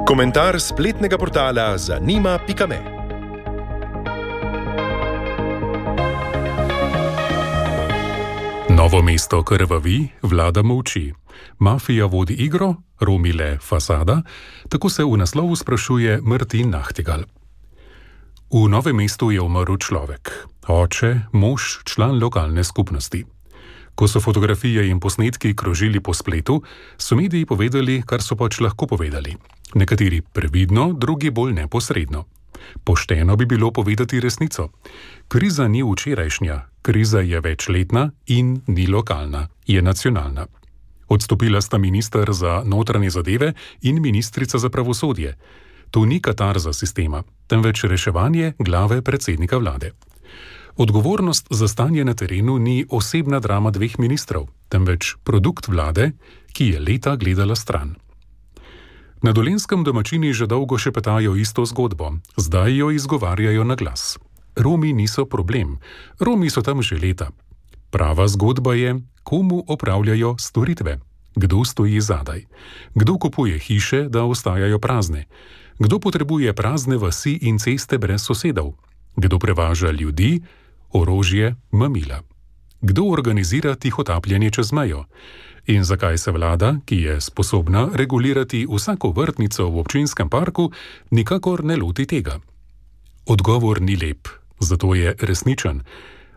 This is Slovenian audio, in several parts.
Komentar spletnega portala zanima.me. Novo mesto krvavi, vlada molči. Mafija vodi igro, Romi le fasada, tako se v naslovu sprašuje Martin Nachtigal. V Novem mestu je umrl človek, oče, mož, član lokalne skupnosti. Ko so fotografije in posnetki krožili po spletu, so mediji povedali, kar so pač lahko povedali. Nekateri previdno, drugi bolj neposredno. Pošteno bi bilo povedati resnico. Kriza ni včerajšnja, kriza je večletna in ni lokalna, je nacionalna. Odstopila sta minister za notranje zadeve in ministrica za pravosodje. To ni katarza sistema, temveč reševanje glave predsednika vlade. Odgovornost za stanje na terenu ni osebna drama dveh ministrov, temveč produkt vlade, ki je leta gledala stran. Na Dolenjskem domačini že dolgo šepetajo isto zgodbo, zdaj jo izgovarjajo na glas. Romi niso problem, Romi so tam že leta. Prava zgodba je, komu opravljajo storitve, kdo stoji zadaj, kdo kupuje hiše, da ostajajo prazne, kdo potrebuje prazne vasi in ceste brez sosedov, kdo prevaža ljudi, orožje, mamila, kdo organizira tihotapljanje čez mejo in zakaj se vlada, ki je sposobna regulirati vsako vrtnico v občinskem parku, nikakor ne loti tega. Odgovor ni lep, zato je resničen,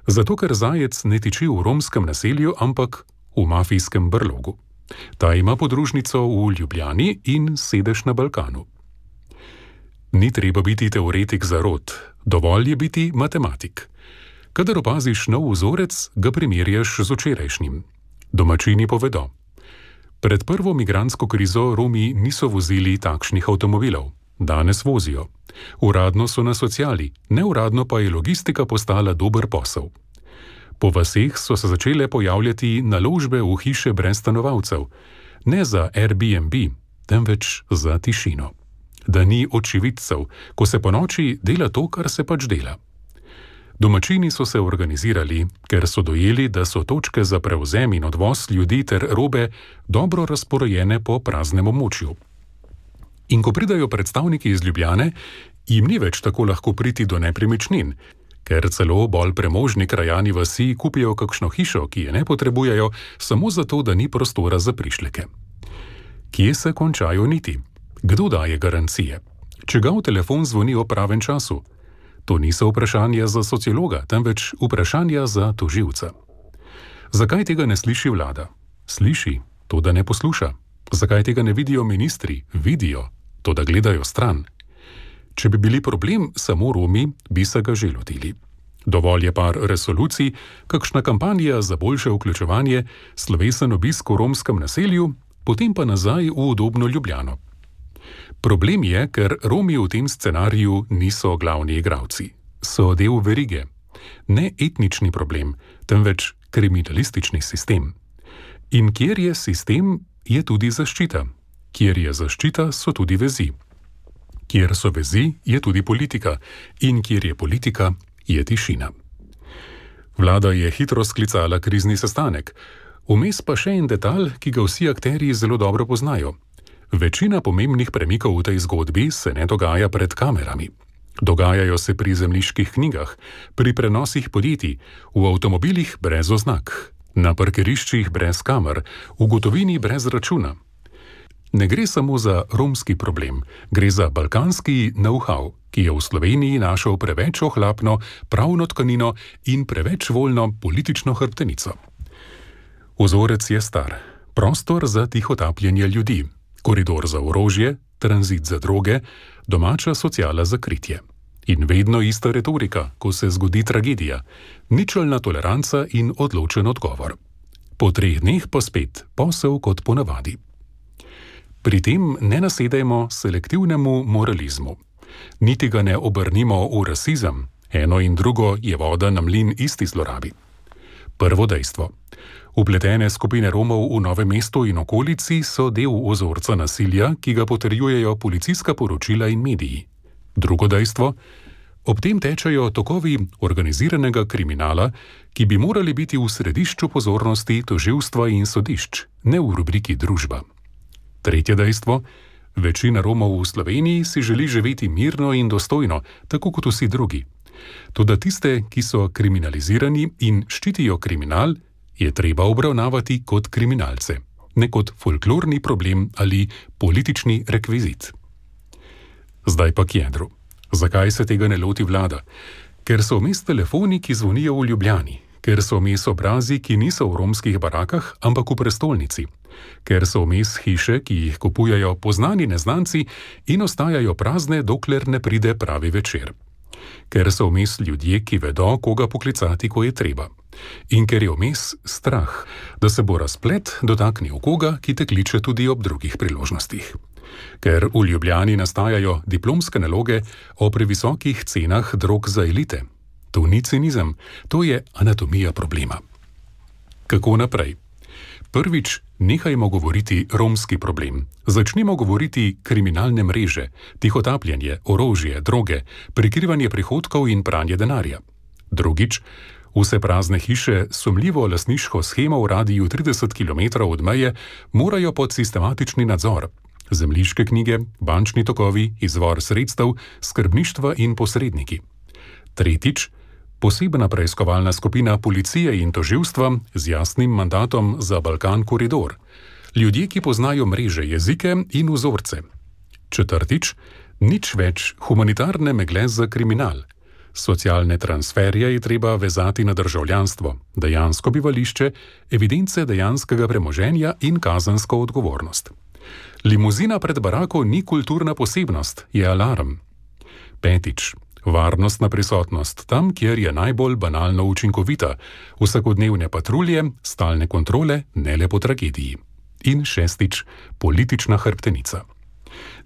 zato ker zajec ne tiči v romskem naselju, ampak v mafijskem brlogu. Ta ima podružnico v Ljubljani in sedež na Balkanu. Ni treba biti teoretik zarot, dovolj je biti matematik. Kadar opaziš nov vzorec, ga primerjaš z včerajšnjim. Domačini povedo. Pred prvo migrantsko krizo Romi niso vozili takšnih avtomobilov. Danes vozijo. Uradno so na sociali, neuradno pa je logistika postala dober posel. Po vaseh so se začele pojavljati naložbe v hiše brez stanovalcev. Ne za Airbnb, temveč za tišino. Da ni očividcev, ko se po noči dela to, kar se pač dela. Domačini so se organizirali, ker so dojeli, da so točke za prevzem in odvoz ljudi ter robe dobro razporejene po praznem območju. In ko pridajo predstavniki iz Ljubljane, jim ni več tako lahko priti do nepremičnin, ker celo bolj premožni krajani vasi kupijo kakšno hišo, ki je ne potrebujejo, samo zato, da ni prostora za prišleke. Kje se končajo niti? Kdo daje garancije? Čigav telefon zvoni o pravem času? To niso vprašanja za sociologa, temveč vprašanja za tožilca. Zakaj tega ne sliši vlada? Sliši, to da ne posluša. Zakaj tega ne vidijo ministri? Vidijo, to da gledajo stran. Če bi bili problem samo Romi, bi se ga že lotili. Dovolj je par resolucij, kakšna kampanja za boljše vključevanje, slovesen obisk v romskem naselju, potem pa nazaj v udobno Ljubljano. Problem je, ker Romi v tem scenariju niso glavni igralci. So del verige. Ne etnični problem, temveč kriminalistični sistem. In kjer je sistem, je tudi zaščita. Kjer je zaščita, so tudi vezi. Kjer so vezi, je tudi politika. In kjer je politika, je tišina. Vlada je hitro sklicala krizni sestanek. Vmes pa še en detalj, ki ga vsi akterji zelo dobro poznajo. Večina pomembnih premikov v tej zgodbi se ne dogaja pred kamerami. Dogajajo se pri zemljiških knjigah, pri prenosih podjetij, v avtomobilih brez oznak, na parkiriščih brez kamer, v gotovini brez računa. Ne gre samo za romski problem, gre za balkanski know-how, ki je v Sloveniji našel preveč ohlapno pravno tkanino in preveč voljno politično hrbtenico. Vzorec je star. Prostor za tihotapljanje ljudi. Koridor za orožje, tranzit za droge, domača sociala za kritje. In vedno ista retorika, ko se zgodi tragedija, ničelna toleranca in odločen odgovor. Po 3 dneh pa spet posel kot ponavadi. Pri tem ne nasedajmo selektivnemu moralizmu. Niti ga ne obrnimo v rasizem, eno in drugo je voda na mlin isti zlorabi. Prvo dejstvo. Vpletene skupine Romov v Novem mestu in okolici so del vzorca nasilja, ki ga potrjujejo policijska poročila in mediji. Drugo dejstvo. Ob tem tečejo tokovi organiziranega kriminala, ki bi morali biti v središču pozornosti tožilstva in sodišč, ne v rubriki družba. Tretje dejstvo: večina Romov v Sloveniji si želi živeti mirno in dostojno, tako kot vsi drugi. Toda tiste, ki so kriminalizirani in ščitijo kriminal, je treba obravnavati kot kriminalce, ne kot folklorni problem ali politični rekvizit. Zdaj pa k jedru. Zakaj se tega ne loti vlada? Ker so vmes telefoni, ki zvonijo v Ljubljani, ker so vmes obrazi, ki niso v romskih barakah, ampak v prestolnici, ker so vmes hiše, ki jih kupujajo poznani neznanci in ostajajo prazne, dokler ne pride pravi večer. Ker so vmes ljudje, ki vedo, koga poklicati, ko je treba. In ker je vmes strah, da se bo razplet dotaknil koga, ki te kliče tudi ob drugih priložnostih. Ker v Ljubljani nastajajo diplomske naloge o previsokih cenah drog za elite. To ni cinizem, to je anatomija problema. Kako naprej? Prvič, nehajmo govoriti romski problem. Začnimo govoriti kriminalne mreže, tihotapljanje, orožje, droge, prikrivanje prihodkov in pranje denarja. Drugič, vse prazne hiše s sumljivo lastniško shemo v radiju 30 km od meje morajo pod sistematični nadzor. Zemljiške knjige, bančni tokovi, izvor sredstev, skrbništva in posredniki. Tretjič, posebna preiskovalna skupina policije in tožilstva z jasnim mandatom za Balkan koridor. Ljudje, ki poznajo mreže, jezike in vzorce. Četrtič, nič več humanitarne megle za kriminal. Socialne transferje je treba vezati na državljanstvo, dejansko bivališče, evidence dejanskega premoženja in kazensko odgovornost. Limuzina pred barako ni kulturna posebnost, je alarm. Petič, varnostna prisotnost tam, kjer je najbolj banalno učinkovita, vsakodnevne patrulje, stalne kontrole, ne le po tragediji. In šestič, politična hrbtenica.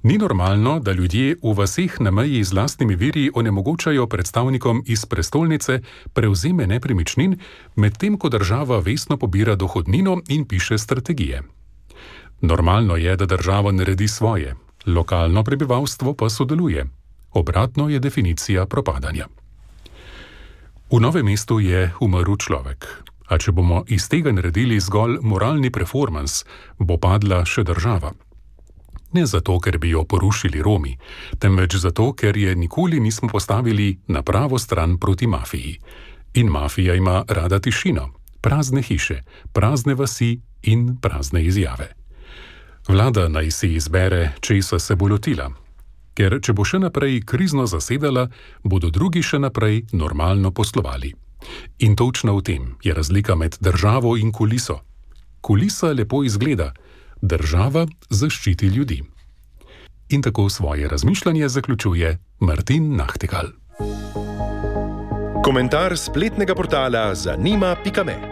Ni normalno, da ljudje v vaseh na meji z lastnimi viri onemogočajo predstavnikom iz prestolnice prevzeme nepremičnin, medtem ko država vestno pobira dohodnino in piše strategije. Normalno je, da država naredi svoje, lokalno prebivalstvo pa sodeluje. Obratno je definicija propadanja. V Novem mestu je umrl človek, a če bomo iz tega naredili zgolj moralni performans, bo padla še država. Ne zato, ker bi jo porušili Romi, temveč zato, ker je nikoli nismo postavili na pravo stran proti mafiji. In mafija ima rada tišino, prazne hiše, prazne vasi in prazne izjave. Vlada naj si izbere, česa se bo lotila. Ker če bo še naprej krizno zasedala, bodo drugi še naprej normalno poslovali. In točno v tem je razlika med državo in kuliso. Kulisa lepo izgleda, država zaščiti ljudi. In tako svoje razmišljanje zaključuje Martin Nachtigal. Komentar spletnega portala zanima.me